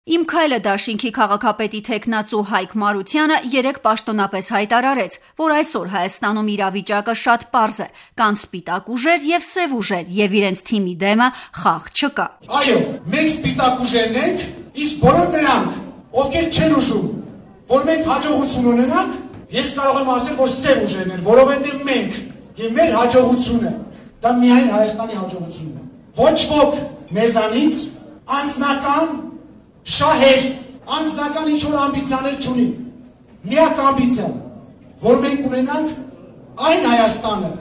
Իմ քայլը դաշինքի քաղաքապետի թեկնածու Հայկ Մարությանը երեկ պաշտոնապես հայտարարեց, որ այսօր Հայաստանում իրավիճակը շատ պարզ է, կան սպիտակ ուժեր եւ սեւ ուժեր եւ իրենց թիմի դեմը խաղ չկա։ Այո, մենք սպիտակ ուժերն ենք, իսկ բոլոր նրանք, ովքեր չեն ուզում, որ մենք հաջողություն ունենանք, ես կարող եմ ասել, որ սեւ ուժերն են, որովհետեւ մենք եւ մեր հաջողությունը դա միայն Հայաստանի հաջողությունն է։ Ոչ ոք մեզանից անձնական շահեր, անձնական ինչ-որ ամբիցիաներ չունի։ Միակ ամբիցիան, որ մենք ունենանք այն Հայաստանը,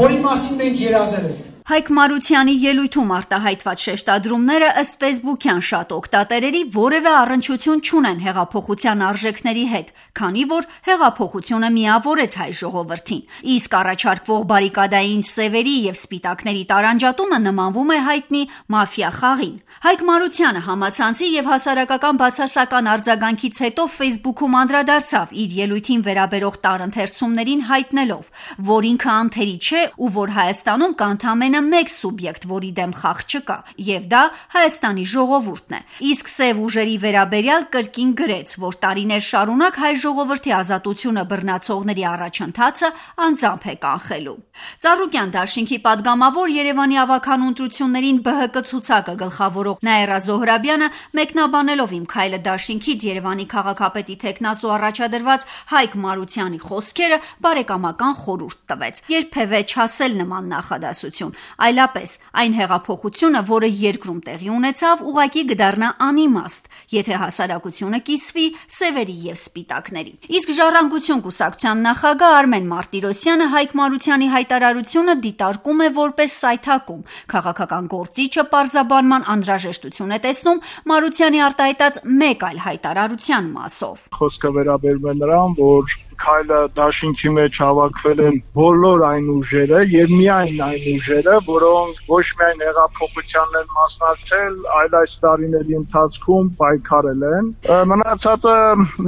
որի մասին մենք երազել ենք։ Հայկ Մարությանի ելույթում արտահայտված շեշտադրումները ըստ ֆեյսբուքյան շատ օգտատերերի որևէ առնչություն չունեն հեղափոխության արժեքների հետ, քանի որ հեղափոխությունը միավորեց հայ ժողովրդին, իսկ առաջարկվող բարիկադային սևերի եւ սպիտակների տարանջատումը նմանվում է հայտնի մաֆիա խաղին։ Հայկ Մարությանը համացանցի եւ հասարակական բացասական արձագանքից հետո ֆեյսբուքում անդրադարձավ իր ելույթին վերաբերող տարընթերցումներին հայտնելով, որ ինքը անթերի չէ ու որ Հայաստանում կա ընդամենը մեկ սուբյեկտ, որի դեմ խաղ չկա, եւ դա Հայաստանի ժողովուրդն է։ Իսկ սեւ ուժերի վերաբերյալ կրկին գրեց, որ տարիներ շարունակ հայ ժողովրդի ազատությունը բռնացողների առաջընթացը անձամբ է կանխելու։ Ծառուկյան դաշինքի падգամավոր Երևանի ավագանու ընտրություններին ԲՀԿ ցուցակը գլխավորող Նաիրա Զոհրաբյանը մեկնաբանելով Իմ քայլը դաշինքից Երևանի քաղաքապետի թեկնածու առաջադրված Հայկ Մարությանի խոսքերը բարեկամական խորհուրդ տվեց. երբևէ չասել նման նախադասություն, այլապես այն հեղափոխությունը, որը երկրում տեղի ունեցավ, ուղղակի կդառնա անիմաստ, եթե հասարակությունը կիսվի սևերի եւ սպիտակների։ Իսկ Ժառանգություն կուսակցության նախագահ Արմեն Մարտիրոսյանը Հայկ Մարությանի հայտարարությունը դիտարկում է որպես սայթակում։ Քաղաքական գործիչը պարզաբանման անհրաժեշտություն է տեսնում Մարությանի արտահայտած մեկ այլ հայտարարության մասով։ Խոսքը վերաբերում է նրան, որ քայլը դաշինքի մեջ հավաքվել են բոլոր այն ուժերը եւ միայն այն ուժերը, որոնք ոչ միայն հեղափոխությանն են մասնակցել, այլ այս տարիների ընթացքում պայքարել են։ Մնացածը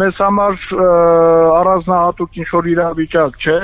մեզ համար առանձնահատուկ ինչ-որ իրավիճակ չէ։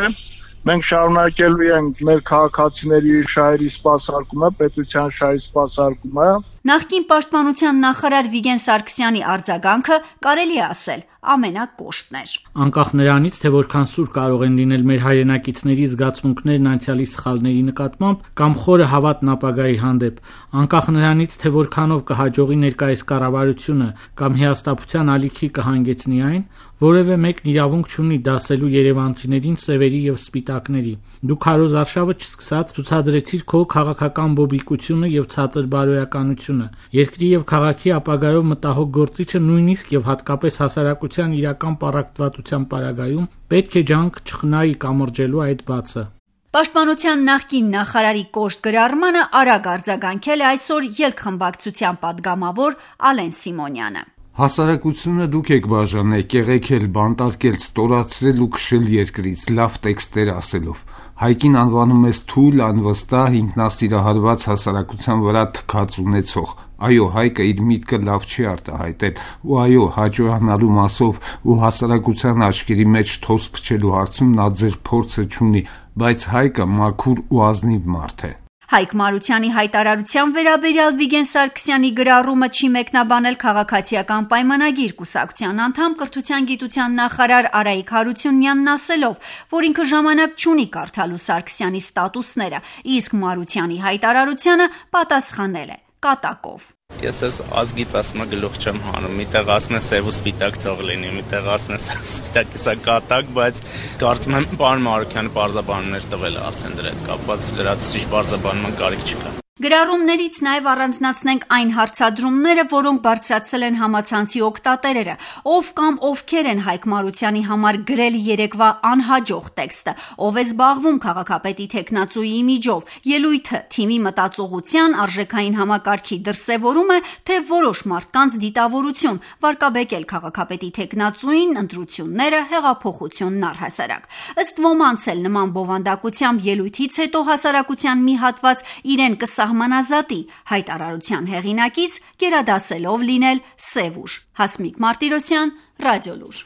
Մենք շարունակելու ենք մեր քաղաքացիների շահերի սպասարկումը, պետության շահերի սպասարկումը։ Նախկին պաշտպանության նախարար Վիգեն Սարգսյանի արձագանքը կարելի է ասել ամենակոշտն էր։ Անկախ նրանից, թե որքան սուր կարող են լինել մեր հայրենակիցների զգացմունքներն անցյալի սխալների նկատմամբ կամ խորը հավատն ապագայի հանդեպ, անկախ նրանից, թե որքանով կհաջողի ներկայիս կառավարությունը կամ հիասթափության ալիքի կհանգեցնի այն, որևէ մեկն իրավունք չունի դասելու երևանցիներին սևերի եւ սպիտակների։ Դու քարոզ արշավը չսկսած ցուցադրեցիր քո քաղաքական բոբիկությունը եւ ցածր բարոյականությունը։ Երկրի եւ քաղաքի ապագայով մտահոգ գործիչը նույնիսկ եւ հատկապես հասարակության իրական պառակտվածության պարագայում պետք է ջանք չխնայի կամրջելու այդ բացը։ Պաշտպանության նախկին նախարարի կոշտ գրառմանը արագ արձագանքել է այսօր ելք խմբակցության падգամավոր Ալեն Սիմոնյանը։ Հասարակությունը դուք եք բաժանել, կեղեքել, բանտարկել, ստորացրել ու քշել երկրից, լավ տեքստեր ասելով։ Հայկին անվանում ես թույլ, անվստահ, ինքնասիրահարված հասարակության վրա թքած ունեցող։ Այո, Հայկը իր միտքը լավ չի արտահայտել, ու այո, հաջողանալու մասով ու հասարակության աչքերի մեջ թոս փչելու հարցում նա ձեր փորձը չունի, բայց Հայկը մաքուր ու ազնիվ մարդ է։ Հայկ Մարությանի հայտարարության վերաբերյալ Վիգեն Սարգսյանի գրառումը չի մեկնաբանել քաղաքացիական պայմանագիր կուսակցության անդամ կրթության գիտության նախարար Արայիկ Հարությունյանն ասելով, որ ինքը ժամանակ չունի կարդալու Սարգսյանի ստատուսները, իսկ Մարությանի հայտարարությանը պատասխանել է կատակով։ Ես ես ազգից ասում գլուխ չեմ հանում, միտեղ ասում են սև ու սպիտակ թող լինի, միտեղ ասում են սպիտակի սա կատակ, բայց կարծում եմ պարոն Մարությանը պարզաբանումներ տվել է արդեն դրա հետ կապված, լրացուցիչ պարզաբանման կարիք չկա։ Գրառումներից նաև առանձնացնենք այն հարցադրումները, որոնք բարձրացել են համացանցի օգտատերերը, ով կամ ովքեր են Հայկ Մարությանի համար գրել երեկվա անհաջող տեքստը, ով է զբաղվում քաղաքապետի թեկնածուի իմիջով, ելույթը թիմի մտածողության արժեքային համակարգի դրսևորում է, թե որոշ մարդկանց դիտավորություն, վարկաբեկել քաղաքապետի թեկնածուին, ընտրությունները, հեղափոխությունն առհասարակ։ Ըստ ոմանց էլ նման բովանդակությամբ ելույթից հետո հասարակության մի հատված իրեն կսահմանազատի հայտարարության հեղինակից, գերադասելով լինել սև ուժ։ Հասմիկ Մարտիրոսյան, Ռադիոլուր։